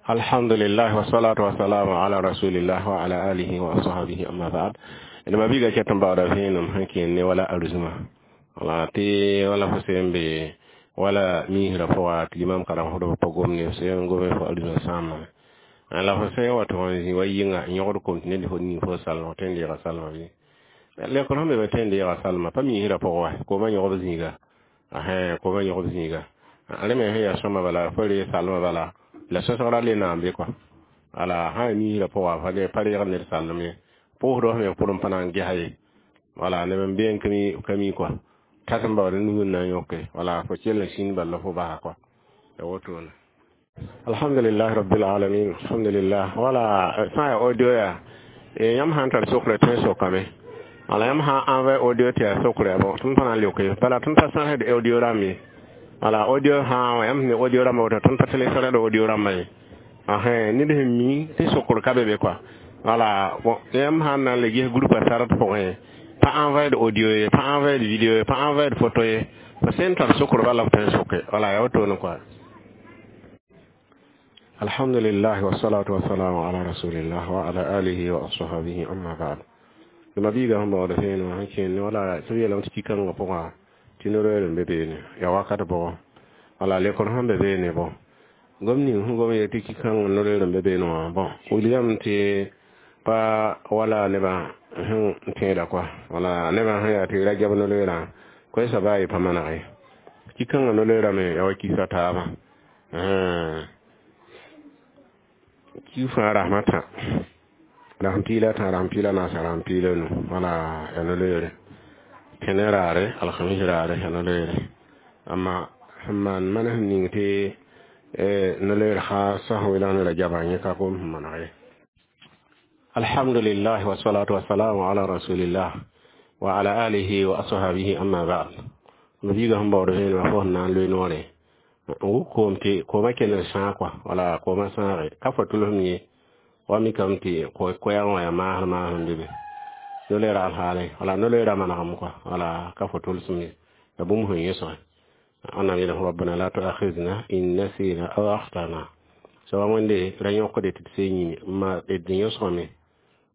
Alhamdulillah wassalatu wassalamu ala rasulillah wa ala alihi wa ashabihi, amma ba'd. Ina mabiga ketan bawda fenum hankin ne wala arzuma wala ti wala fo sembe wala mihra fo wa limam karam hodo pogom ne sen gome fo arzuma sama ala fo sen wato zi wayinga nyogor ko ne fo ni fo salma tende ga salma bi le ko be tende ga salma pa mihra fo wa ko ma nyogor zinga ahe ko ma nyogor zinga ale me he ya sama bala fo le salma bala la sosora le nambe quoi ala ha mihra fo wa fa le pare ga ne salma po do me purum panan ge haye wala ne ben bien kami kami quoi tatam ba nu na yoke wala fo chel sin balla fo ba quoi e woto na. Alhamdulillah rabbil alamin, alhamdulillah. Wala sa audio ya e yam han tar sokre ten so kame ala yam ha envoy audio te sokre bon tun panan yoke bala tun ta sa de audio rami ala audio ha yam ni audio rami woto tun ta tele sara audio rami ahe ni de mi te sokre kabe be quoi. Voilà, bon, yam han na le groupe sarat point pas envoyer de audio, pas envoyer de vidéo, pas envoyer de photo, parce que tar sokro bala tan soke wala ya woto no quoi. Alhamdulillah wassalatu wassalamu ala rasulillah wa ala alihi wa ashabihi, amma ba'd. Mabiga hamba wala feno hankin wala sabiya lam tiki kan ga poka tinoro be be ne ya wakata bo wala le kon hambe be ne bo gomni hu gomi tiki kan no le be be no bon william te pa wala neba hun tẽeda kɔa wala nebã sẽn yaa tɩ rajab no-loeerã koe soaba y pa maneg ye ki-kãngã no-loeerã me ya wa kisa taabã ki fãa rasmã tã rasm piila tã rasm piila naasa rasm piila nu wala ya no-loeere tẽne raare alhamis raare ya no-loeere amma sẽn maan manes ning tɩ no-loeer khaasa sẽn welang ne rajabã yẽ ka kom sẽn maneg ye. Alhamdulillah wassalatu wassalamu ala rasulillah wa ala alihi wa ashabihi, amma ba'd. Mabiga sẽn baood vẽenemã fo sẽn na n loe noore n wʋk koom tɩ koomã kell n sãag kɔa wala koomã sãage ka fo tʋlsem ye wa mikame tɩ koɛɛg wã yaa maasr maasem be be no-loeera alhaale wala no-loeera manegem kɔa wala ka fo tʋlsem ye ya bũmb sẽn yẽsge wẽnnaam yeelame rabbana la tuakhidna in nasina aw akhtana soaba wẽnde ra yõkde tɩ d see yĩme ma d yõsgame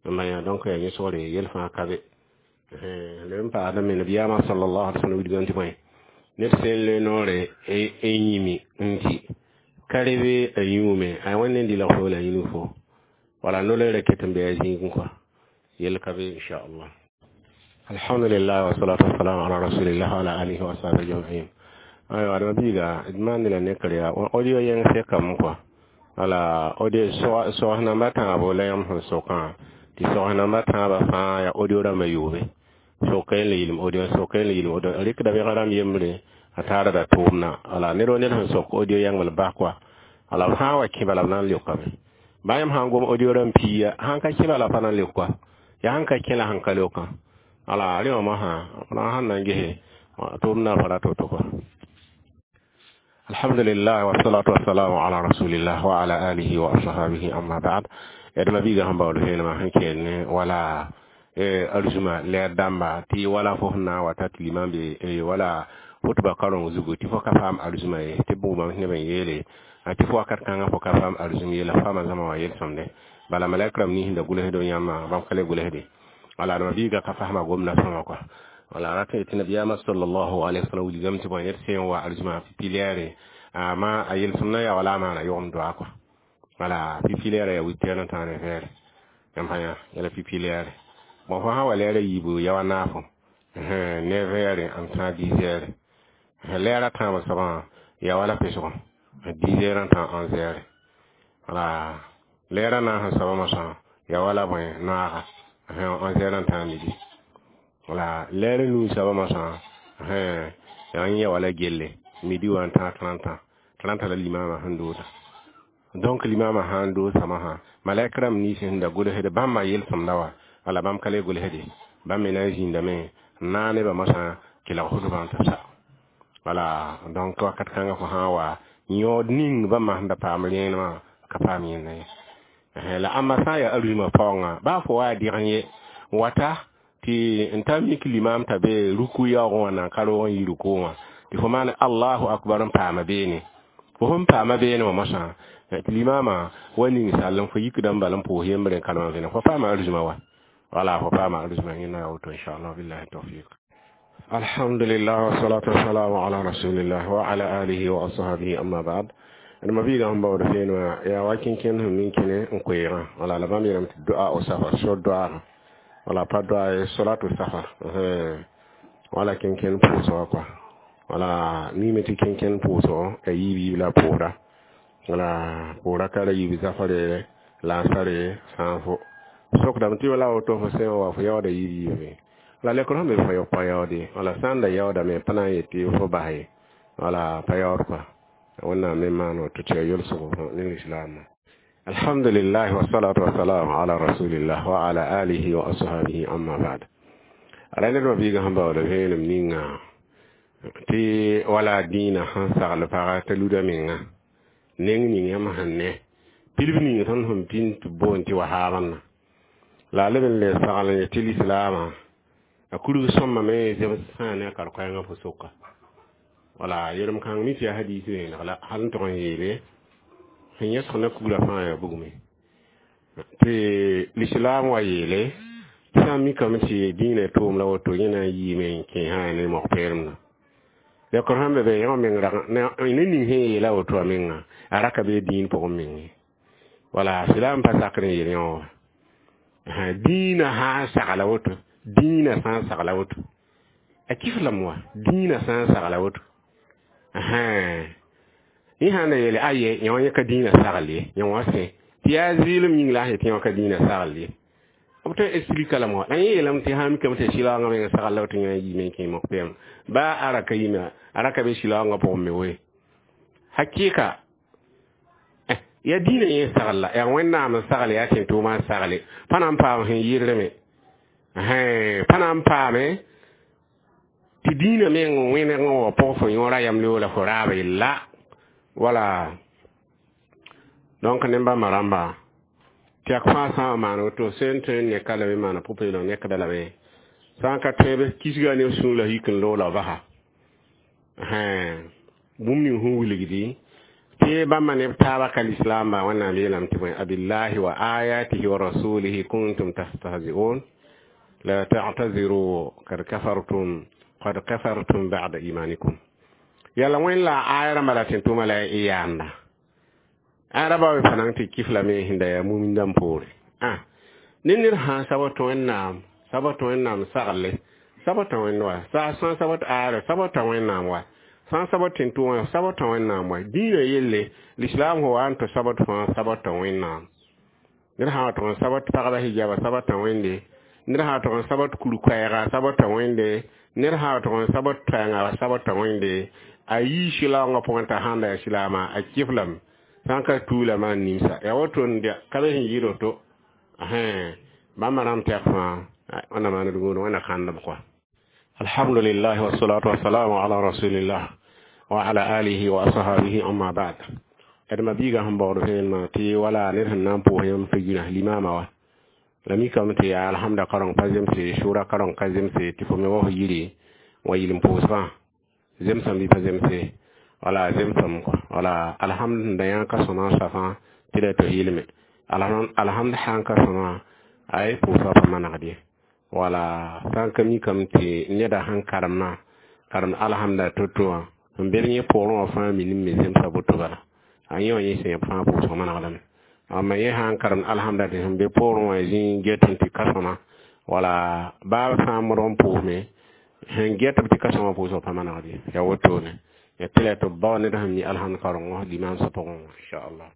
maya donc ya yẽsgre yel fãa ka be le n paadame nabiyaamã sallallahu alaihi wasallam wilgame tɩ bõe ned sẽn loe noore n yĩmi n dɩ ka rebe a yũume a wẽnd n dɩlg fo la yĩnu fo wala no-loeera ket n be a zĩigẽ kɔa yel ka be inchallah. Alhamdulillah wassalatu wassalamu ala rasulillah wa ala alihi wa ashabihi ajma'in. Aywa adama biiga d maand la nekr yaa audio yẽng sekame kɔa wala audio sogs namba tãabo la yãmb sẽn sokã tɩ sogs namba tãabã fãa yaa audio rãmbã yoobe soka n le yɩlem audio soka n le yɩlem audio rɩkda bẽg rãmb yembre a taarda tʋʋmna wala ned wa ned sẽn sok audio yãngl bas kɔa wala b sã n wa kẽ bala b na n leokame baa yãmb sã n gom audio rãmb piiya sãn ka kẽ bala pa na n leok kɔa yaa sẽn ka kẽ la sẽn ka leokã wala rẽ wã mosã la sẽn na n gese tʋʋmna pa ra to-to kɔa. Alhamdulillah wassalatu wassalamu ala rasulillah wa ala alihi wa ashabihi, amma ba'd. Yadma biga sẽn baood vẽenemã sẽn kell wala arzuma lɛɛr dãmba tɩ wala fo sẽn na n wa ta tɩ limam be wala hʋtba kareng zugu tɩ fo ka paam arzuma ye tɩ bʋgmame neb n yeele tɩ fo wakat kãngã fo ka paam arzum ye la faama zãma wã yel-sõmde bala malɛk rãmb nins da gʋlsd yãmbã bãmb ka le gʋlsde wala adama biiga ka fasma gomda sõma kɔa wala rat tɩ nabiyaamã sallallahu alaihi wasallam wilgame tɩ bõe ned sẽn wa arzuma pipi-lɛɛre ama a yel-sõmdã yaa wala a maana yʋgem doa kɔa wala pipi-lɛɛrã yaa wit n tã ne vɛɛre yãmb sã yã yãla pipi-lɛɛre bon fo sã wa lɛɛrã yiibu ya wa naafo neuf heures n tã dix heures lɛɛrã tãabã soabã ya wala pesgõ 10 heures n tã 11 heures wala lɛɛrã naas n soabã mosã ya wala bõe noaga 11 heures n tã midi wala lɛɛrã nuu soabã mosã ya n ya wala gelle midi wa n tã 30 30 la limama sẽn dooda donc limama sã n doosã mosã malɛk rãmb nins sẽn da gʋlsd bãmba yel-sõmda wa wala bãmb ka le gʋlsde bãmb me na n zĩndame n naag nebã mosã kelg hʋtbã n tɩ sa wala donc wakat kãngã fo sã n wa yõod ning bãmba sẽn da paam rẽenemã ka paam yẽnda ye la ãmba sã n yaa arũimã paoongã baa fo wa dɩg n ye wata tɩ n ta mik limam t'a be ruku yaoogẽ wã na n ka roog n yi rukʋ wã tɩ fo maan allahu akbar n paama beene. Fo sẽn paama beene wã mosã tɩ limaamã wa ning sall n fo yikdã n bal n pʋʋs yembre n kalem n vẽneg fo paama arzũma wa wala fo paama arzũma yẽnda yaa woto inchallah billahi tawfiq. Alhamdulillah wassalatu wassalamu ala rasulillah wa ala alihi wa ashabihi amma ba'd. D ma biigã sẽn baood feen wã yaa wa kẽnkẽnd sẽn min kẽne n koeegã wala la bãmb yeelame tɩ doa o safar so doaagã wala pa doa ye solatu safar wala kẽnkẽnd pʋʋsg kɔa wala mime tɩ kẽnkẽnd pʋʋsg a yiib yiib la pʋʋsda wala pʋʋra ka ra yiib zafare laasare sã n fo sokdame tɩ la woto fo sẽn wa fo yaooda yiib yiibe la lekr sẽn be fo pa yaoode wala sã n da yaoodame pa na n yet tɩ fo bas ye wala pa yaood kɔa wẽnnaam me maan woto tɩ yaa yolsgo ne lislaamã. Alhamdulillah wassalatu wassalamu ala rasulillah wa ala alihi wa ashabihi amma ba'd. Ala ned ma biigã sẽn baooda vẽenem ninga tɩ wala dĩinã sẽn sagl paga t'a luda menga neng ning yãmb sẽn ne pilb ning tõnd sẽn pĩnd tɩ boond tɩ wahaabãnna la a leb n le sagl n yetɩ lislaamã a kurg sõmbame zems sã ne a kar-koɛɛngã fo soka wala yelem kãng mi tɩ yaa hadiis vẽeneg la hal n tog n yeele sẽn yẽsg na kugrã fãa yaa bugme tɩ lislaam wa yeele tɩ sã n mikame tɩ dĩinã tʋʋm la woto yẽ na n yiime n kẽesã ne mog-peelemdã lekr sẽn be be yõ meng ne ning sẽn yeela woto a menga a ra ka bee dĩin pʋgẽ menge wala silaam pa sakr n yeel yõ wa dĩinã sã n sagla woto dĩinã sã n sagla woto a kif lame wa dĩinã sã n sagla woto yẽ sã n da yeele aye yõ yẽ ka dĩinã sagl ye yõ wã sẽ tɩ yaa zɩɩlem yĩng la a sẽn tɩ yõ ka dĩinã sagl ye b tõe explika lame wa la yẽ yeelame tɩ sã n mikame tɩ sɩlaoongã meng sagl la woto yẽ yiime n kẽ mog-peem baa a ra ka yime a ra ka be sɩlaoongã pʋgẽ me woe hakɩɩka ya dĩinã yẽ sagl la yaa wẽnnaam n sagle yaa tẽn-tʋʋmã n sagle pa na n paam sẽn yɩrlme pa na n paame tɩ dĩinã meng wẽneg n wa pʋg fo yõora yam la fo raaba yella wala donc ne bãmba rãmba tɩ yak fãa sã n maan woto sẽn tõe n neka lame maana pʋ-peelem nekda lame sã n ka tõe kisga ne sũur la yik n loog la basa bũmb ning sẽn wilgdi tɩ bãmba neb taaba ka lislaamba wẽnnaam yeelame tɩ bõe abillahi wa ayatihi wa rasulihi kuntum tastahzi'un la ta'taziru kad kafartum qad kafartum ba'da imanikum yala wẽn la aya rãmba la tẽn-tʋʋma la y yaanda aya raba be pa nan tɩ kif lame sẽn da yaa mumindãmb poore ne ned sã sabr tɩ wẽnnaam sabr tɩ wẽnnaam sagle sabr tɩ wẽnd wa sã sabr tɩ aara sabr tɩ wẽnnaam wa sã n sabr tẽn-tʋʋmã sabr tɩ wẽnnaam wa dĩinã yelle lislaam fo wa n tɩ sabr fãa sabr tɩ wẽnnaam ned sã wa tʋg n sabr tɩ pagba hijaba sabr tɩ wẽnde ned sã wa tʋg n sabr tɩ kur-koɛɛga sabr tɩ wẽnde ned sã wa tʋg n sabr tɩ sabr tɩ wẽnde a yii sɩlaoongã pʋgẽ t'a sãn da yaa silaamã a kɩf lame sã n ka tuulame a nimsa yaa woto n ka be sẽn yɩɩd woto bãmba rãmb tɛk fãa wẽnna maan d gũud wẽnna kãndb kɔa. Alhamdulillah wassalatu wassalamu ala rasulillah wa ala alihi wa ashabihi amma ba'd. D ma biigã sẽn baood vẽenemã tɩ wala ned sẽn na n pʋʋs yãmb tɩ yĩna limaamã wa la mikame tɩ yaa alhamda kareng pa zemse sʋʋra kareng ka zemse tɩ fo me wa fo yiri wa yɩl n pʋʋsgã zemsame bɩ pa zemse wala zemsame kɔa wala alhamd da yã ka sõma safã tɩ la tɩ yɩlme alhamd sã n ka sõma ay pʋʋsgã pa manegd ye wala sã n ka mikame tɩ neda sẽn karemã karemd alhamda to-to wã n bel yẽ poorẽ wã fãa minim me zemsa boto bala a yẽ wã yẽ sẽn fãa pʋʋsg manegdame amma yẽ sã n karemd alhamda tɩ sẽn be poorẽ wã zĩ get n tɩ ka sõma wala baa sã n modg n pʋʋsme sẽn get b tɩ ka sõma pʋʋsg pa manegd ye yaa wotone ya tɩ la tɩ b bao ned sẽn mi alhamd karengo limaamsã pʋgẽ wã inchallah.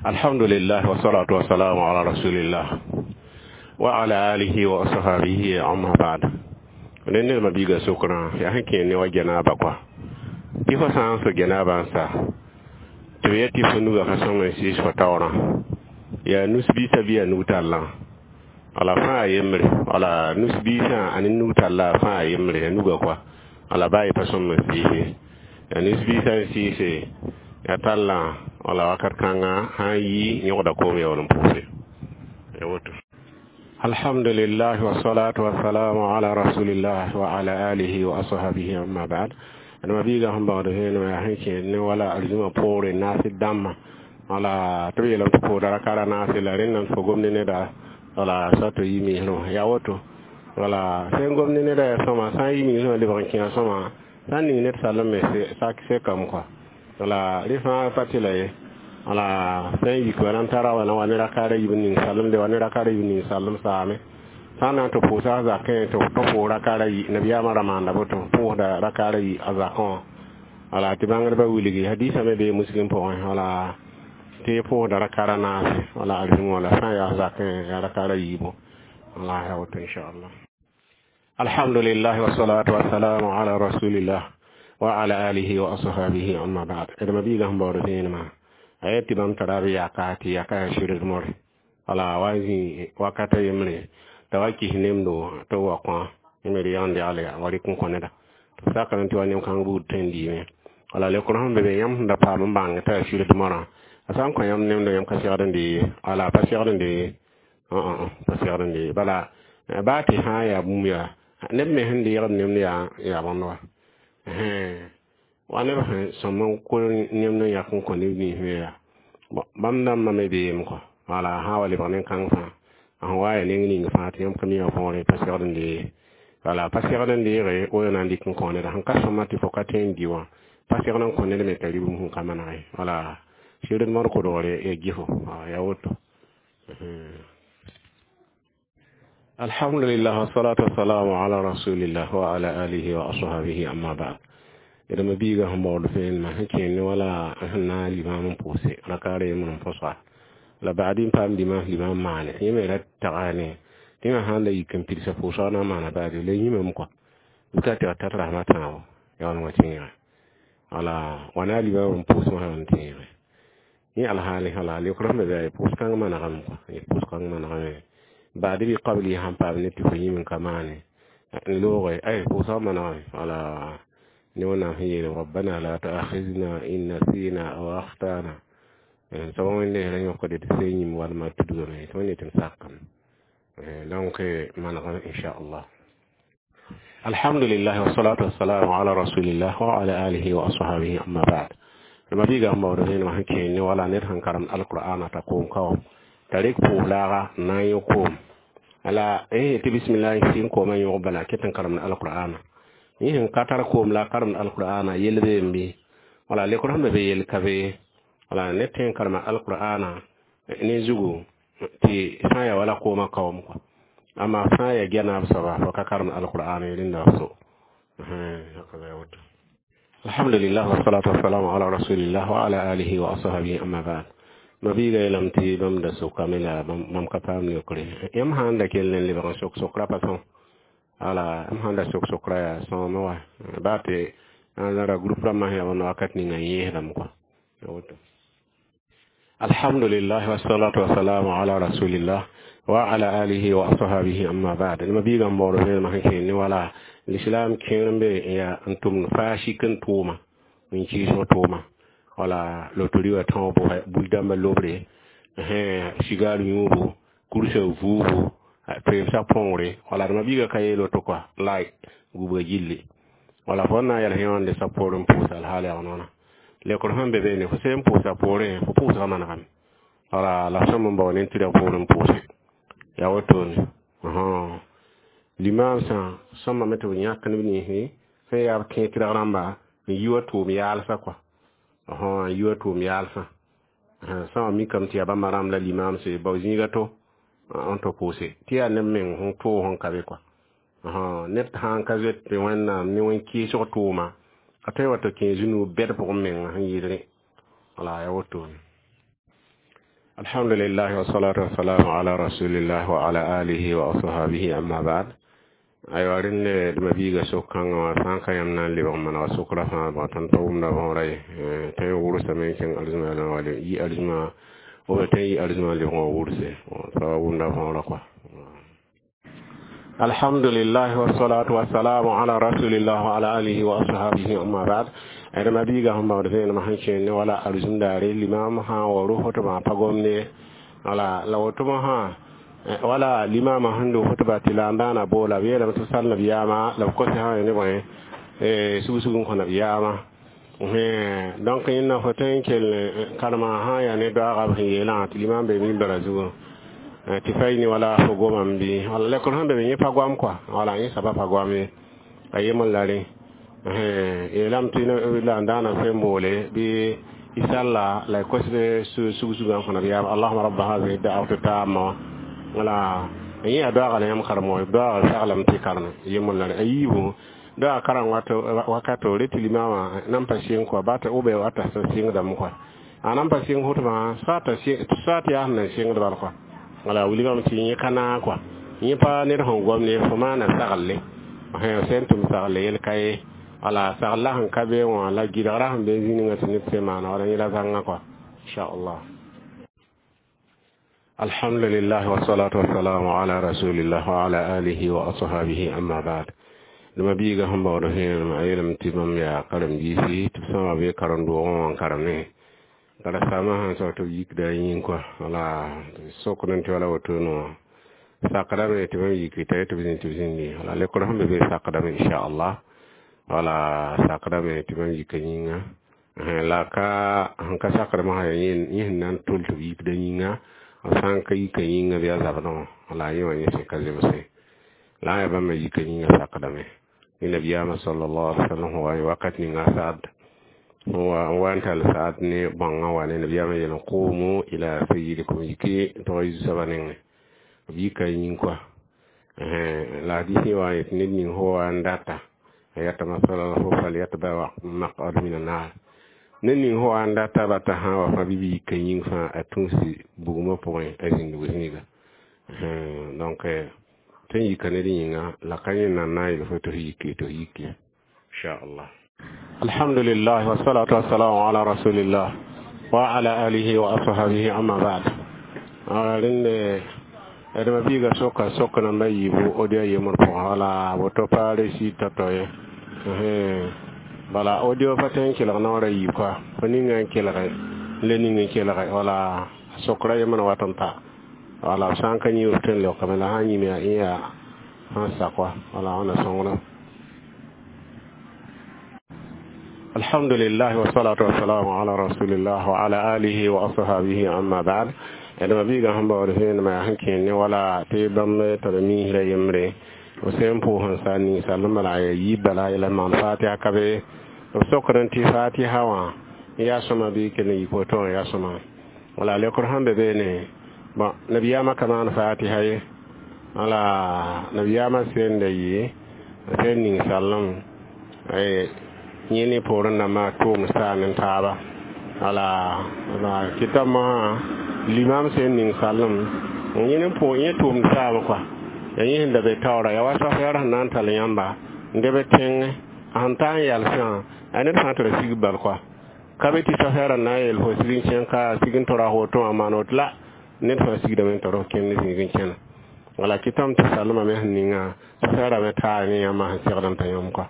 Alhamdulillah wassalatu wassalamu ala rasulillah wa ala alihi wa ashabihi amma ba'd. Ne ned ma biiga sokrã yaa sẽn kẽer ne wa janaba kɔa tɩ fo sã n so janaba n sa tɩ b yet tɩ fo nuga ka sõng n sɩɩs fo taoorã yaa nus-biisã bɩ yaa nug-tallã wala fãa yembre wala nus-biisã a ne nug-tallã fãa yembre yaa nuga kɔa wala baa y pa sõm n sɩɩse yaa nus-biisã n sɩɩse yaa tallã wala wakat kãngã sã n yi yõgda koom yaool n pʋʋse ya woto. Alhamdulillah wassalatu wassalamu ala rasulillah wa ala alihi wa ashabihi amma ba'd. Ma biiga sẽn baood vẽenem yaa sẽn kẽed ne wala arzũmã poore naas dãmbã wala tɩ b yeelame tɩ pʋʋsda rakaara naase la rẽndame tɩ fo gomd neda wala sa tɩ yi misrẽ yaa woto wala sẽn gomd neda yaa sõma sã n yi misrẽ lebg n kẽa sõma sã n ning ned salem me sekame kɔa wala rẽ fãa pa tɩ la ye wala sẽn yik wa nan tara wa na wa ne rakaara yib n ning salemde wa ne rakaara yib n ning salem saame sã n na n tɩ pʋʋsa a zakẽ tɩ pʋʋs rakaara yi nabiyaamã ra maanda boto pʋʋsda rakaara yi a zakẽ wã wala tɩ bãngdbã wilgi hadiisã me bee muslim pʋgẽ wala tɩ pʋʋsda rakaara naase wala arzũmã wala sã n yaa zakẽ yaa rakaara yiibu wala ya woto inchallah. Alhamdulillah wassalatu wassalamu ala rasulillah wa ala alihi wa ashabihi amma ba'd. Dama biiga sẽn baood vẽenemã a yet tɩ bãmb tara b yaka tɩ yaka yaa sɩrd more wala wa zĩ wakata yembre t'a wa kis nemdo tɩ b wa kõ me d yãnd yagle wa rɩk n kõ neda tɩ b sakame tɩ wa nem-kãng buud tõe n diime wala lekr sẽn be be yãmb sẽn da paam n bãng t'a yaa sɩrd morã a sã n kõ yãmb nemdo yãmb ka segd n dee wala pa segd n dee pa segd n dee bala baa tɩ sã n yaa bũmb yaa neb me sẽn deegd nemd yaa bõnd wa wa neb sẽn sõm n kol nemd n yãk n kõ neb nins me yaa bãmb dãmbã me beem kɔ wala sã wa lebg nen-kãng fãa sẽn wa yaa neng ning fãa tɩ yãmb ka mi wã võore pa segd n dee wala pa segd n deege woto na n dɩk n kõ neda sẽn ka sõma tɩ fo ka tõe n dɩ wã pa segd n kõ ned me t'a rɩ bũmb sẽn ka maneg wala sɩrd mod kodgre ya gɩfo yaa woto. Alhamdulillah wassalatu wassalamu ala rasulillah wa ala alihi wa ashabihi amma ba'd. Dama biiga sẽn baood vẽenemã sẽn kẽer ne wala sẽn na n limam n pʋʋse rakaara yembr n põsa la baad n paam dimaas limam maane yẽ me ra taga ne tɩ yã sãn la yik n pidsa pʋʋsg na n maana baade la yĩmame kɔa bɩ ka tɩ tat rasmã tãabo yaa wã tẽegẽ wala wa na limam n pʋʋs wã n tẽegẽ yẽ alhaali wala leokr sẽn be be pʋʋs kãng manegame kɔa pʋʋs kãng manegame baad bɩ qabli sãn paam ne tɩ fo yĩm n ka maane n looge ay pʋʋsg manegame wala ne wẽnnaam sẽn yeele rabbana la tuakhidna in nasina aw akhtana soab wẽnde ra yõkde tɩ sẽn yĩm walma tudgame tɩ wẽnde tɩ m sakame donc manegame inchallah. Alhamdulillah wassalatu wassalamu ala rasulillah wa ala alihi wa ashabihi amma ba'd. Ma biiga sẽn baood vẽenemã sẽn kẽer ne wala ned sẽn karemd alqur'ana t'a koom ka wã t'a rɩk pʋʋs laaga n na n yõ koom ala tɩ bismillah sɩ n koomã yõg bala ket n karemd alqur'ana yẽ sẽn ka tar koom la a karemd alqur'ana yell beem bɩ wala lekr sẽn be be yell ka be wala ned tõe n karema alqur'ana ne zugu tɩ sã n yaa wala koomã kaoom kɔa amma sã n yaa gɛnaab soaba fo ka karemd alqur'ana rẽnda f so woto. Alhamdulillah wassalatu wassalamu ala rasulillah wa ala alihi wa ashabihi amma ba'd. Ma biiga yeelame tɩ bãmb da sokame la bãmb ka paam yokre yãmb sãn da kell n lebg n sok sokra pa sõm wala m sãn da sok sokra yaa sõome wa baa tɩ ra groupe rãmbã sẽn yaa bõnd wakat ninga n yẽesdame kɔa woto. Alhamdulillah wassalatu wassalamu ala rasulillah wa ala alihi wa ashabihi amma ba'd. Ma biiga n baood vẽenemã sẽn kẽer ne wala l'islam kẽer n be yaa n tʋmd faasik n tʋʋma n kɩɩsg tʋʋma wala lotori wã tãoobo bui-dãmbã lobre sigaar yũubu kursa vuubu toeemsã põogre wala d ma biiga ka yeel woto kɔa la gubga gilli wala fo na n yɛls yõonde sa poor n pʋʋsa alhaal yaa noona lekr sẽn be beene fo sẽn pʋʋsa poorẽ fo pʋʋsga manegame wala la sõm n bao ne tɩ ra poor n pʋʋse yaa wotone limam sã sõmame tɩ b yãk neb ninsẽ sẽn yaa b kẽ tɩrg rãmba n yi wa tʋʋm yaalsã kɔa n yi wa tʋʋm yaalsã sã wã mikame tɩ yaa bãmba rãmb la limamse bao zĩiga to n tɩ pʋʋse tɩ yaa neb meng sẽn tʋʋg sẽn ka be kɔa ned sãn ka zoet tɩ wẽnnaam ne wẽn-kɩɩsg tʋʋma a tõe wa tɩ kẽ zũnu bɛd pʋgẽ menga sẽn yɩɩd rẽ wala yaa wotone. Alhamdulillah wassalatu wassalamu ala rasulillah wa ala alihi wa ashabihi amma ba'd. Aywa rẽnd d ma biiga sok-kãngã wã sã n ka yãmb na n lebg n manega sokra fãa bã tõnd pa wʋmda võora ye tõe n wʋrsame n kẽng arzũma la wala yi arzũma b tõe n yi arzũma lebg wã wʋrse pa wʋmda võora kɔa. Alhamdulillah wassalatu wassalamu ala rasulillah wa ala alihi wa ashabihi amma ba'd. D ma biiga sẽn baood vẽenemã sẽn kẽer ne wala arzũm daare limam sã n wa ro fotbã pa gomde wala la wotobã sã wala limama sẽn do fotba tɩ la n daana boola b yeelame tɩ b sal nabiyaamã la b kos sã ne bõe Sug-sug n kõ nabiyaamã. Donc yẽnda fo tõe n kell karema sã n yaa ne doaagã b sẽn yeelã tɩ limam be mimbara zugu tɩ fa yini wala fo gomame bɩ wala lekr sẽn be be yẽ pa goam kɔa, wala yẽ soaba pa goam ye, a yembr la rẽ yeelame tɩ la n daana sẽn boole bɩ y salla la y kos sug-sugã n kõ nabiyaam allahuma rabba hadihi da'wati tamma. Wala yẽ yaa doaaga la yãmb karem wã, doaagã saglame tɩ kareme yembr la rẽ. A yiibu doaag karem wakato rɩ tɩ limamã nan pa sɩng kɔa ba tɩ b wata sẽn sɩngdame kɔa, a nan pa sɩng hʋtmã soat yaa sẽn nan sɩngd bal kɔa. Wala wilgame tɩ yẽ ka naag kɔa, yẽ pa ned sẽn gom ne fo maana saglle sẽn tʋm sagle yel ka ye. Wala saglla sẽn ka be wã la gɩdgra sẽn be zĩningã tɩ ned sẽn maana wala yẽ la zãnga kɔa, inchallah. Alhamdulillah wassalatu wassalamu ala rasulillah wa ala alihi wa ashabihi, amma ba'd. Dẽma biiga sẽn baood vẽenem a yeelame tɩ bãmb yaa karen-biisi tɩ b sõma be karen-doogẽ wã n karem karen-saamã sãn sao tɩ b yikda a yĩng kɔa. Wala sokd tɩ wala woto no sakdame tɩ bãmb yiki t'a yetɩ b zĩnd tɩ b zĩndi. Wala lekr sẽn be be sakdame, inchallah. Wala sakdame tɩ bãmb yika yĩnga la ka sẽn ka sakdame sã yaa yẽ sẽn na n tol tɩ b yikda yĩnga, b sã n ka yika yĩnga bɩ a zabdẽ wã. Wala yẽ wã yẽ sẽn ka zemse la a yaa bãmba yika yĩnga sakdame. Ni nabiyaamã sallallahu alaihi wasallam wa wakat ninga Saad wa n wa n tall Saad ne bãngã wa ne nabiyaamã yel qumu ila sayyidikum, yiki tɩg y zu-soabã nengẽ. B yika yĩng kɔa. La hadisi wa yetɩ ned ning fo wa n data a yata masala fo falyatba maq'ad min annar, ned ning fo wa n data bata sã wa fãa bɩ b yika yĩng fãa a tũusi bugmã pʋgẽ a zĩndg zĩiga. Donc tõe n yika ned yĩnga la ka yẽ nan na n yel fo tɩ f yiki tɩ f yiki, inchallah. Alhamdulillah wassalatu wassalamu ala rasulillah wa ala alihi wa ashabihi, amma ba'd. Rẽnde dẽma biiga soka sok namba yiibu audio yembr pʋgã, wala woto pa resi tao-tao ye. Bala audio pa tõe n kelg naoora yiib kɔa, fo ninga n kelge le ning n kelge. Wala sokra yembr n wat n pa. Wala b sã n ka yĩ b tõe n leokame, la sã n yĩm yaa ẽ yaa sãn sak wa. Wala wãnna sõngda. Alhamdulillah wassalatu wassalamu ala rasulillah wa ala alihi wa ashabihi, amma ba'd. Dẽma biigã sẽn baood vẽenemã yaa sẽn kẽer ne wala tɩ bãmb tar miisrã yembre b sẽn pʋʋs n sa ninsal n bala ya yiib bala yɛla n maan fatiha ka be. B sokd tɩ fatiha wã yaa sõma bɩ kell n yik woto wã yaa sõma. Wala lekr sẽn be beene, bon, nabiyaamã ka maan fatiha ye. Wala nabiyaamã sẽn da yɩ sẽn ning sallem yẽ ne poorẽ dãmbã tʋʋm saan n taaba. Wala kɩta mosã limam sẽn ning sallem yẽ ne pʋʋg yẽ tʋʋmd saam kɔa, yaa yẽ sẽn da be taoora yaa wa safɛɛr sẽn na n tall yãmba n deb tẽng a sẽn ta n yalsã a ned fãa tɩ ra sig bal kɔa. Ka be tɩ safɛɛrã na n yeel fo sig n kẽn ka sig n tora woto wã maan woto la ned fãa sigdame n tar f kẽnd zĩig n kẽna. Wala kɩtame tɩ salmã me sẽn ninga safɛɛrã me taa ne yãmba sẽn segd n ta yãmb kɔa.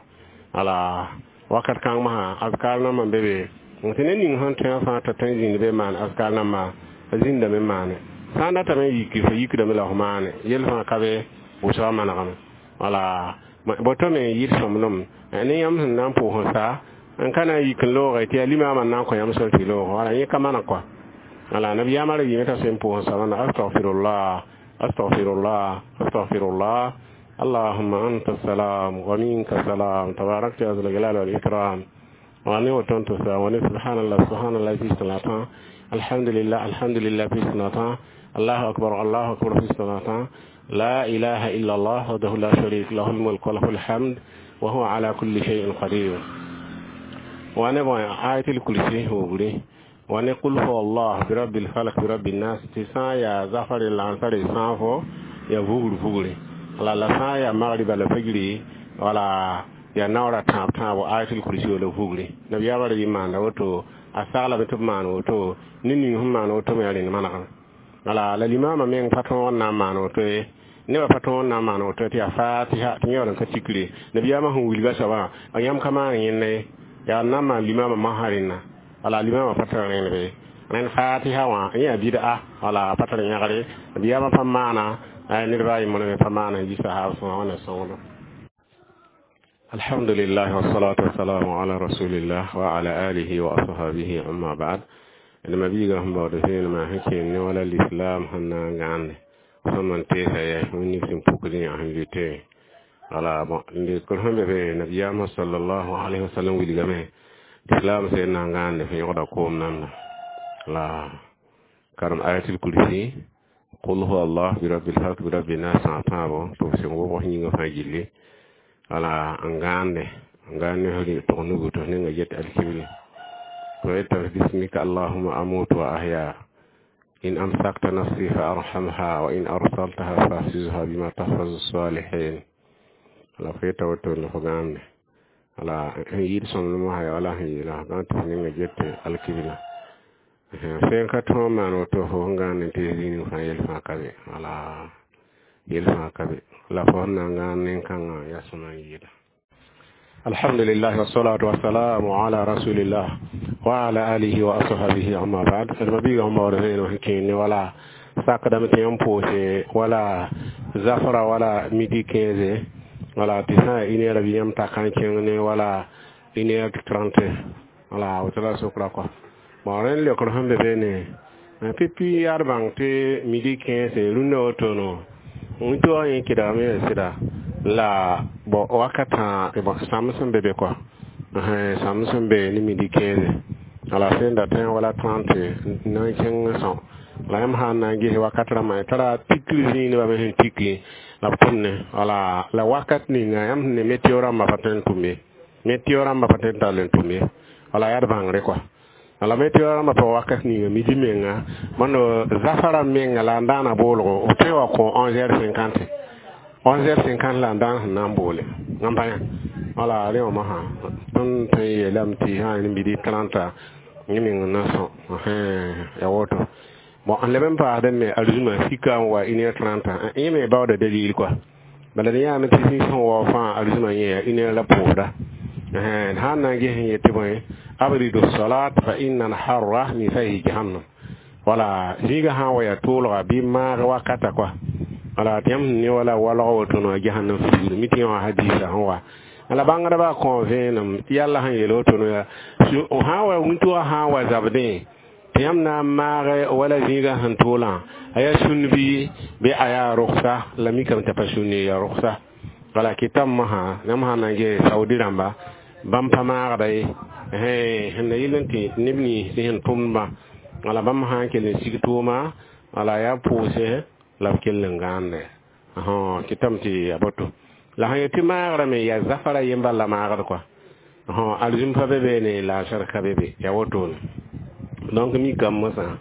Wala wakat kãng masã azkar nambã n be be tɩ ned ning sẽn tõe fãa t'a tõe n zĩnd be maan azkar nambã a zĩndame n maane, sã n datame n yiki fo yikdame la f maane yel fãa ka be wʋsga manegame. Wala boto me n yɩɩd sõmblem ne yãmb sẽn na n pʋʋs n sa n ka na n yik n looge tɩ yaa limaamã n na n kõ yãmb sor tɩ loog. Wala yẽ ka maneg kɔa. Wala nabiyaamã ra yɩme t'a sẽn pʋʋs n sa wãnna astaghfirullah, astaghfirullah, astaghfirullah, allahumma anta salam wa minka salam, tabarakta ya zal jalali wal ikram. Wa ne woto tɩ sa wa ne subhanallah, subhanallah fi salata, alhamdulillah, alhamdulillah fi salata, allahu akbar, allahu akbar fi salata, la ilaha illa allah wahdahu la sharika lahu al-mulku wa lahu alhamd wa huwa ala kulli shay'in qadir. Wa ne bon ayatul kursi wugre wa ne qul huwa allah bi rabbil falaq bi rabbin nas tɩ sã n yaa zafare lansare sã fo ya vugr vugre. Wala la sã n yaa magriba la fajri wala ya naoora tãab tãabo ayatul kursi la vugre. Nabiyaamã ra yɩ maanda woto a saglame tɩ b maan woto ne ning sẽn maan woto me yaa rẽnd manegame. Wala la limaamã meng pa tõog n na n maan woto ye, nebã pa tõog n na n maan woto tɩ yaa fatiha tɩ yẽ n ka tikre nabiyaamã sẽn wilga soabã a yãmb ka maan yẽnda ye, yaa n na n maan limaamã masã rẽnna. Wala limaamã pa tar rẽnd be rẽnd fatiha wã yẽ yaa bɩda. Wala pa tar yãgre nabiyaamã pa maana, ned baa yembr me pa maana n yi sahaab sõma. Wãnna sõngdo. Alhamdulillah wassalatu wassalamu ala rasulillah wa ala alihi wa ashabihi, amma ba'd. D mabiiga sẽn baood vẽenemã sẽn kẽen ne wala l'islam sẽn na n gãande sẽn man teesa yɛ wẽnnaam sẽn pukd yã sẽn lʋɩte. Wala bon, lekr sẽn be be nabiyaamã sallallahu alayhi wa sallam wilgame l'islam sẽn na n gãande fo yõgda koom namda la karem ayatul kursi, qul huwa allah, bi rabbil falak, bi rabbi nas sã tãabo tɩ f sẽn wobg yĩngã fãa gilli. Wala n gãande n gãand ne f tʋg nugu tɩ f ninga get alkibli ويتف باسمك اللهم أموت وأحيا، إن أمسكت نفسي فأرحمها، وإن أرسلتها فأحفظها بما تحفظ الصالحين. ala fo yeta woto ne fo gãande ala n yɩɩd sõmblem wã wala sẽn yeela gãn tɩ f ninga get alkibla sẽn ka tõog maan woto fo sẽn gãand n tees zĩig fãa yel fãa ka be. Wala yel fãa ka be la fo sẽn na n gãand nen-kãngã yaa sõma n yɩɩda. Alhamdulillah wassalatu wassalamu ala rasulillah wa ala alihi wa ashabihi, amma ba'd. D mabiiga sẽn baood vẽenem sẽn kẽen ne wala sakdame tɩ yãmb pʋʋse wala zafra wala midi 15, wala tɩ sã n une heure bɩ yãmb ta n kẽng ne wala 1h30. Wala woto la sokra kɔa. Bon, rẽnd leokr sẽn be beene pipi yaa d bãng tɩ midi 15 rũndã wotono wĩntoogã yẽ kɩdgame yaa sɩda la bon wakatã bon sãmb sẽn be be kɔa, sãmb sẽn be ne midi 15, wala sẽn dat wala 30 na n kẽng sõ la yãmb sã n na n ges wakat rãmbã tara tikr zĩig nebã me sẽn tiki la b tʋmne. Wala la wakat ninga yãmb sẽn ne météo rãmbã pa tõe n tʋm ye, météo rãmbã pa tõe n tall n tʋm ye. Wala yaa d bãngre kɔa. Wala météo rãmbã pa wakat ninga midi menga mõnd zafara menga la n daana boolgo b tõe wa kõ 11h50, 11h50 la n daan sẽn na n boole n pa yã. Wala rẽ wã mosã tõnd tõe n yeelame tɩ sã n midi 30 yẽ meng n na sõ ya woto. Bon, n leb n paasdẽ me arzũma sika n wa 1h30, yẽ me baooda dalil kɔa. Bala d yãame tɩ sẽn wao fãa arzũma yẽ yaa une heure la pʋʋsda. Sã n na n ges n yetɩ bõe abridu salat fa inna alharra min fayhi jahannam. Wala zĩiga sã n wa yaa toolga bɩ maag wakata kɔa. Wala tɩ yãmb sẽn ne wala walg woto no jahannam figr mi tɩ yã wã hadisa sẽn wa la bãngdbã kõ vẽenem tɩ yalla sẽn yeel woto yaa sã wa wĩntoogã sã n wa zabdẽ tɩ yãmb na n maag wala zĩigã sẽn toolã a yaa sũn bɩ a yaa rʋgsa la mikame t'a pa sũnne yaa rʋgsa. Wala kɩtame mosã yãmb sã n na n ges Saudi rãmba bãmb pa maagda ye sẽn na yɩl n tɩ neb nins sẽn tʋmdbã. Wala bãmb sã n kell n sig tʋʋma wala yaa pʋʋse la b kell n gãande kɩtame tɩ a boto la sẽn yetɩ maagrã me yaa zafara yemba la maagd kɔa arzũm pa be beene la a ka be be yaa wotone. Donc mikame mosã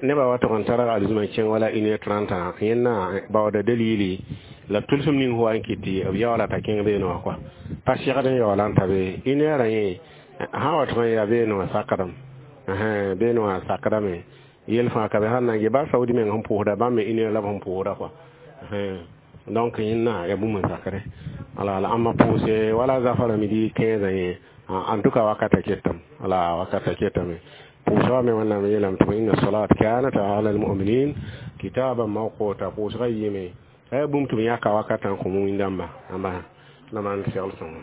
nebã wa tʋg n targ arzũmã kẽng wala 1h30 yẽnna baooda dalili la tʋlsem ning fo wa n kɩt tɩ b yaoola t'a kẽng beene wã kɔa pa segd n yaoola n ta be une heure yẽ sã wa tʋg n yaa beene wã sakdame, beene wã sakdame yel fãa ka be. Sãn na n ge ba Saudi meng sẽn pʋʋsda bãmb me une heure la b sẽn pʋʋsda kɔa. Donc yẽnna yaa bũmb n sakre. Wala la ãmba pʋʋse wala zafara midi 15 yẽ, en tout cas wakata ketame, wala wakata ketame pʋʋsga me wẽnnaam yeelame tɩ inna salat kanat ala almuminin kitaban mawquta pʋʋsga yɩɩme aya bũmb tɩ b yãka wakatã n kõ wĩndãmba ãmba la maan segl sõngo.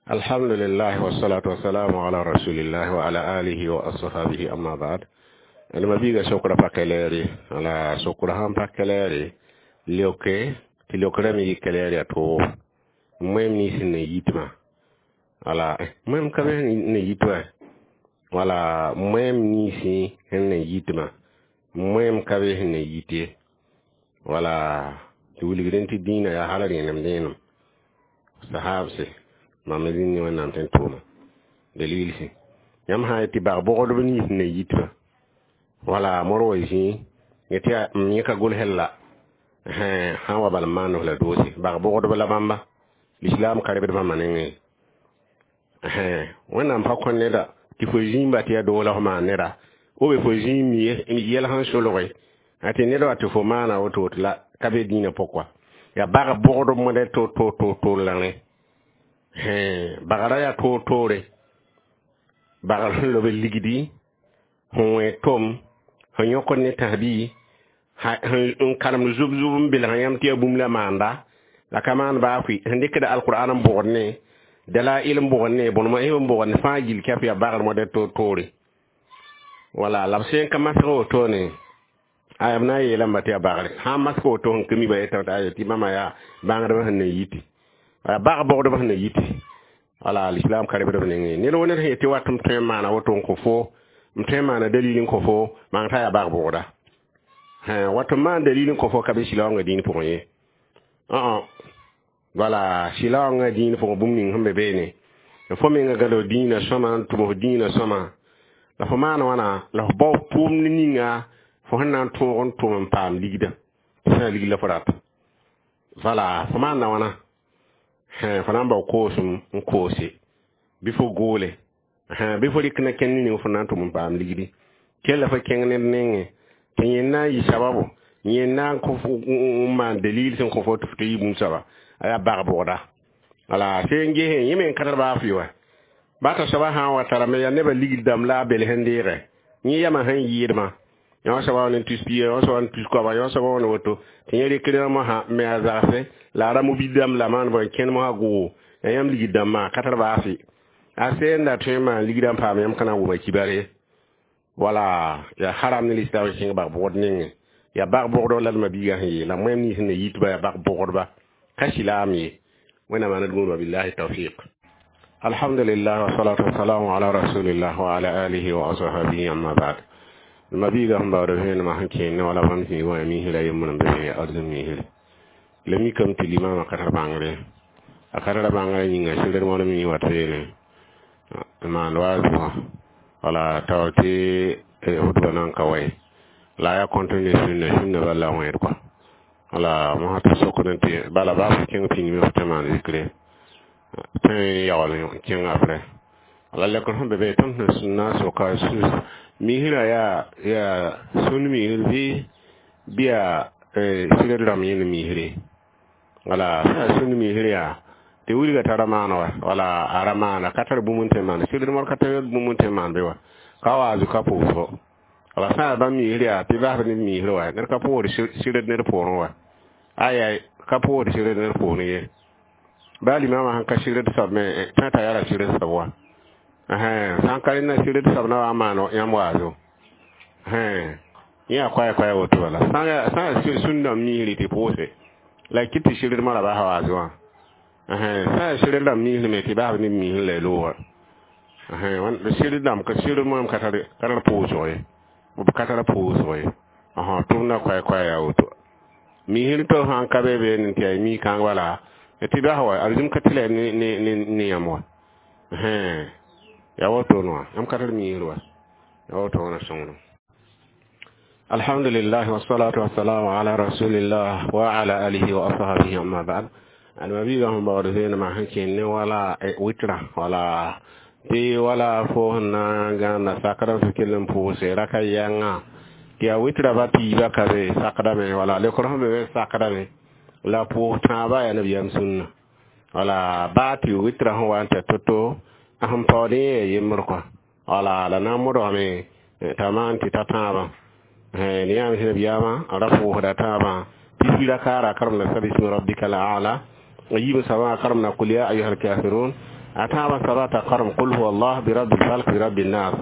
Alhamdulillah wassalatu wassalamu ala rasulillah wa ala alihi wa ashabihi, amma ba'd. D mabiiga sokra pa kɛlɛɛre. Wala sokra sãn pa kɛlɛɛre leoke tɩ leokrã me yɩ kɛlɛɛr yaa toogo moem nins n na yitmã. Wala moem ka be ne yit wa wala moem ninsi sẽn na yitmã moem ka be sẽn na yit ye. Wala tɩ wilgdẽ tɩ dĩinã yaa hal rẽenem dẽenem sahabse mam zĩnd ne wẽnnaam tɩ n tʋʋma dalilsẽ yãmb sã n yet tɩ bag bogdb nins n na yitmã. Wala mor wa zĩ yetɩ yaa m yẽ ka gʋls la sã n wa bal n maand f la doose bag bogdb la bãmba l'islam ka rebd bãmba nengẽ. Wẽnnaam pa kõ neda tɩ fo zĩimba tɩ yaa doog la f maan neda ou be fo zĩim yɛl sẽn solge tɩ ned wa tɩ fo maana woto woto la ka be dĩinã pʋg yaa bag bogdb mõda to la rẽ bagra yaa toor-toore bagr sẽn lob ligdi sẽn wẽ tom sẽn yõkd ne tãsbi n karemd zub-zub n belg yãmb tɩ yaa bũmb la maanda la ka maan baa fʋɩ sẽn dɩkda alqur'an n bʋgd ne Dalail n bʋgd ne bõn n bʋgd ne fãa gill kɛp yaa bagr modɛl toor-toore. Wala la b sẽn ka masg wotone, aya b na n yeelame tɩ yaa bagre. Sã n masg woto sẽn ka mi ba yetame tɩ aya tɩ bãmba yaa bãngdbã sẽn na yiti, yaa bag-bogdbã sẽn na yiti. Wala l'islam ka rebd b nengẽ. Ned wo ned sẽn yet tɩ wat m tõe n maana woto n kõ fo, m tõe n maana dalil n kõ fo, maan t'a yaa bag-bogda. Wat n maan dalil n kõ fo ka be sɩlaoongã dĩin pʋgẽ ye. Wala sɩlaoongã dĩin pʋgẽ bũmb ning sẽn be beene, fo menga gãd dĩinã sõma n tʋm f dĩinã sõma, la fo maan wãna la f bao tʋʋmd ninga fo sẽn na n tõog n tʋm n paam ligdã sã yaa ligd la fo rata. Wala fo maanda wãna, fo na n bao koosem n koose bɩ fo goole, bɩ fo rɩk na kẽnd ning fo na n tʋm n paam ligdi. Kell fo kẽng ned nengẽ tɩ yẽ na n yɩ sababu, yẽ na n maan dalil sẽn kõ fo tɩ fo tɩ yɩ bũmb soaba, a yaa bag-bogda. Wala sẽn gesẽ yẽ me n ka tar baa fɩ wa. Bata soaba sã n wa tarame yaa nebã ligd dãmb la a bels n deege. Yẽ yamã sẽn yɩɩdmã, yõ soaba wa ne tus pia, yõ soaba ne tus koaba, yõ soaba wa ne woto, tɩ yẽ rɩk rẽmã mosã me a zagse la a ra mobil dãmb la maan bõe n kẽnd mosã gʋʋgo, yaa yãmb ligd dãmbã ka tar baa fɩ. A sẽn da tõe n maan ligdã n paam yãmb ka na n wʋma kibar ye. Wala yaa haram ne l'islam kẽng bag-bogd nengẽ. Yaa bag-bogdg la d ma-biigã sẽn yeela moẽm nins sẽn na yitba yaa bag-bogdba, ka silaam ye. Wẽnnaam maan d gũudba, billahi tawfiq. Alhamdulillah wa salatu wa salamu ala rasulillah wa ala alihi wa ashabihi, amma ba'd. Ma-biigã sẽn baood vẽenemã sẽn kẽen ne wala bãmb zĩig wã misra yembr n be arzẽm misre. La mikame tɩ limamã ka tar bãngre, a ka tara bãngrã yĩnga sɩd wãn mi wat beene n maan waazɩ wã. Wala tao tɩ hudba na n ka wa ye la a yaa continue sũnna sũnna bal la a wẽed kɔa. Wala mosã tɩ sokd n tɩ bala baa fo kẽng pĩndme fo tɩ maan zikre tõe n yaool n kẽng après. Wala lekr sẽn be be tõnd sẽn na n soka misrã yaa sũnd misr bɩ yaa sɩd rãmb yẽnd misre. Wala sã yaa sũnd misr yaa tɩ wilga tara maan wa, wala a ra maana ka tar bũmb n tõe n maan sɩd modr, ka tar bũmb n tõe n maan be wa ka waazu ka pʋʋsgo. Wala sã yaa bãmb misr yaa tɩ basb ned misr wa, ned ka pʋʋsd sɩd ned poorẽ wa, aya ka pʋʋsd sɩd ned poorẽ ye. Baa limamã sẽn ka sɩd soab me tõe t'a yaa sɩd soab wa, sã n ka rẽnda sɩd soab na wa n maan yãmb waazo yẽ yaa koɛɛ koɛɛ woto. Bala sã yaa sũn dãmb misri tɩ pʋʋse la y kɩt tɩ sɩd moarã bas waazo wã. Sã yaa sɩd dãmb misr me tɩ basb ned misr la y looga sɩd dãmb sɩd moam ka tar pʋʋsgo ye, b ka tar pʋʋsgo ye, tʋmdã koɛɛ koɛɛ yaa woto. Misr to sã n ka be beene tɩ yaa mi-kãng wala tɩ bas wa arzim ka tɩ la ne yãmb wa yaa woto wã, yãmb ka tar misr wa, yaa woto wã na sõngdem. Alhamdulillah wassalatu wassalamu ala rasulillah wa ala alihi wa ashabihi, amma ba'd. Almabiga sẽn baood vẽenemã sẽn kẽnd ne wala witra, wala tɩ wala fo sẽn na n gãnda sakdã f kell n pʋʋse raka yãnga tɩ yaa witra ba piiba ka be sakdame, wala lekr sẽn be be sakdame la pʋʋs tãabã yaa nabiyaam sũnna. Wala baa tɩ witra sẽn wa n ta to-to a sẽn paood yẽ yaa yembr kɔa, wala la na n modgame t'a maan tɩ ta tãabã ne yãam sẽn nabiyaamã a ra pʋʋsda tãabã pipi rakaara karem la sabismi rabbika la ala a yiib soabã karem na qul ya ayuha alkafirun, a tãabã soaba t'a karem qul huwa allah bi rabbil falq bi rabbin nas.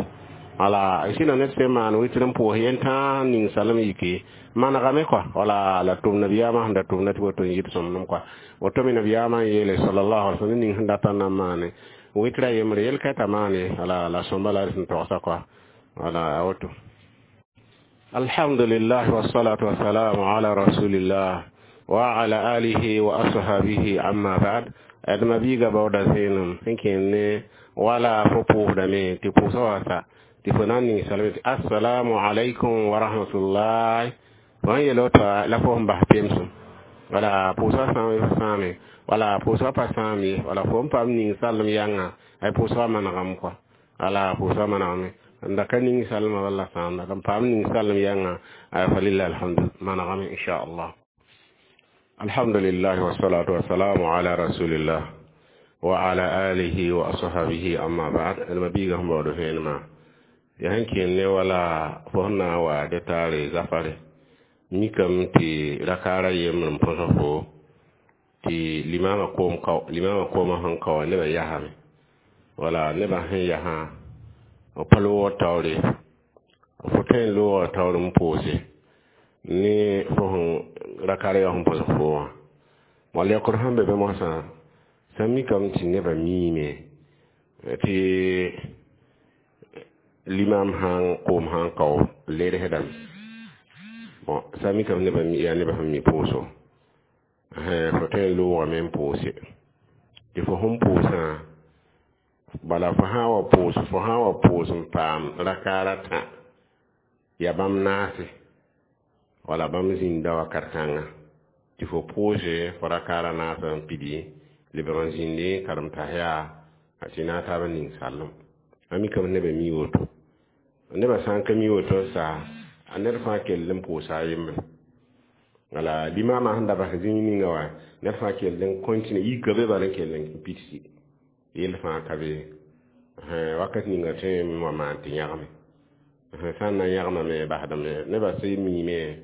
Wala sĩna ned sẽn maan witr n pʋʋs yẽn tãa ning salem yike manegame kɔa. Wala la tʋm nabiyaamã sẽn da tʋmda tɩ woto n yɩd sõmdem kɔa, woto me nabiyaamã n yeele sallallahu alaihi wasallam ning sẽn data n na n maane witra yembre yel ka t'a maane. Wala la sõmba la d sẽn togsa kɔa, wala a woto. Alhamdulillah wassalatu wassalamu ala rasulillah wa ala alihi wa ashabihi, amma ba'd. Ad mabiga baoda zẽenem sẽn kẽnd ne wala fo pʋʋsdame tɩ pʋʋsã wa sa tɩ fo na n ning salme tɩ assalamu alaikum wa rahmatullahi, fo sẽn yel woto la fo sẽn bas pemsem, wala pʋʋsga sãame fo sãame, wala pʋʋsga pa sãam ye, wala fo n paam ning salem yãnga ay pʋʋsga manegame kɔa, wala pʋʋsga manegame n da ka ning salmã walla sãamda n paam ning salem yãnga ay falillah alhamdu manegame inchallah. Alhamdulillah wassalatu wassalamu ala rasulillah wa ala alihi wa ashabihi, amma ba'd. Almabiga sẽn baood vẽenemã yaa sẽn kẽnd ne wala fo sẽn na n wa dẽ taare zafare mikame tɩ rakaara yembr n põsa fo Tɩ limaamã koom kao, limaamã koomã sẽn kao wã nebã yasame. Wala nebã sẽn yasã, b pa loogr taoore. Fo tõe n looga taoor n poose ne fo sẽn rakaar yaa sẽn põsg fo wã. Wall yaookr sẽn be be moasã, sã n mikame tɩ nebã miime tɩ limam sãn koom sãn kao ledsdame. Bon, sã n mikame nebã yaa nebã sẽn mi pʋʋso, fo tõe n loogame n poose. Tɩ fo sẽn poosã, bala fo sã n wa poos, fo sã n wa poos n paam rakaar a tã, yaa bãmb naase, wala bãmb zĩnda wakat kãnga, tɩ fo poose fo rakaar a naasã n pidi, lebg n zĩndi karem tahiya tɩ na taab n ning sallem. A mikame nebã mi woto. Nebã sã n ka mi woto n sa, a ned fãa kell n pʋʋsa a yembre. Wala limaamã sẽn da bas zĩig ninga wã, ned fãa kell n continue, yika be bala n kell n pidsi. Yell fãa ka be. Wakat ninga tõe n wa maan tɩ yãgme. Sã n na yãgmame basdame, nebã sẽn miime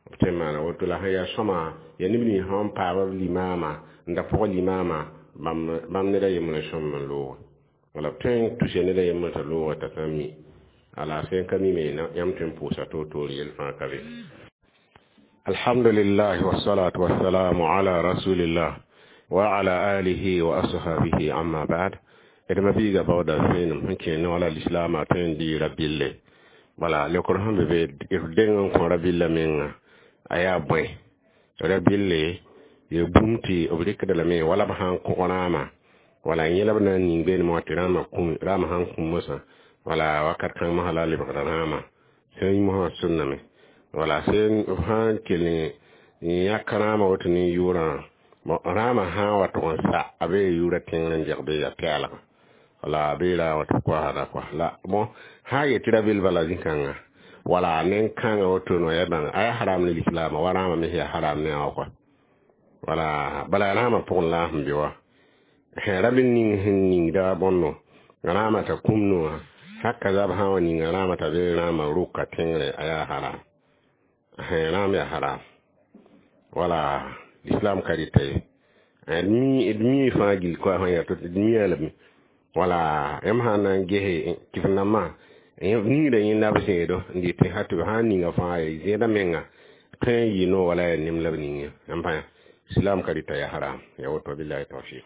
b tõe n maana woto. La sẽn yaa sõma, yaa neb nins sẽn paam b limaamã, n da pʋg limaamã, bãmb ned a yembr n sõmb n looge. Wala b tõe n tusa ned a yembr t'a looge t'a sã n mi. Ala sẽn ka mi me, yãmb tõe n pʋʋsa toor-toor, yell fãa ka be. Alhamdulillah, wassalatu wassalamu ala rasulillah wa ala alihi wa ashabihi, amma ba'd. D ma biiga baooda vẽenem sẽn kẽ ne wala lislaamã tõe n dɩɩ rabɩlle. Bala leokr sẽn be be, d deng n kõ rabɩlla menga, a yaa bõe rabɩlle? Ya bũmb tɩ b rɩkda lame wala b sã n kog rãamã, wala yẽ la b na n ning beenem wã tɩ rãamã kũm, rãamã sãn kũm mosã, wala wakat kãng mosã la a lebgda rãamã sẽn yi mosã sʋnname. Wala sẽn b sã n kell n yãk rãamã woto ne yʋʋrã, rãamã sã n wa tʋg n sa, a bee yʋʋrã tẽngr n deg bee yaa pɛɛlga, wala a bee ra wa tɩ koasda kɔa la. Bõ sã n yetɩ rabɩll bala zĩ-kãnga, wala nen-kãngã woto no ya bãng a yaa haram ne lislaamã wa rãamã me yaa haram ne a wã kɔa. Wala bala rãamã pʋgẽ la sẽn be wa rabɩll ning sẽn ningda bõndo rãamã t'a kũm no wã, haka zab sã n wa ninga rãamã t'a be rãamã rʋka tẽngre, a yaa haram, rãam yaa haram. Wala islam ka dɩta ye, d mi fãa gill koa sẽn yaa to d mia lame. Wala yãmb sã n na n gese tɩ f nambã ningda yẽnda b zẽedo n dɩt ha tɩ b sã n ninga fãa zẽedã menga tõe n yɩ no wala yaa nem la b ning yã. Yãmb pãa islam ka dɩta yaa haram, ya woto. Billahi tawfiq.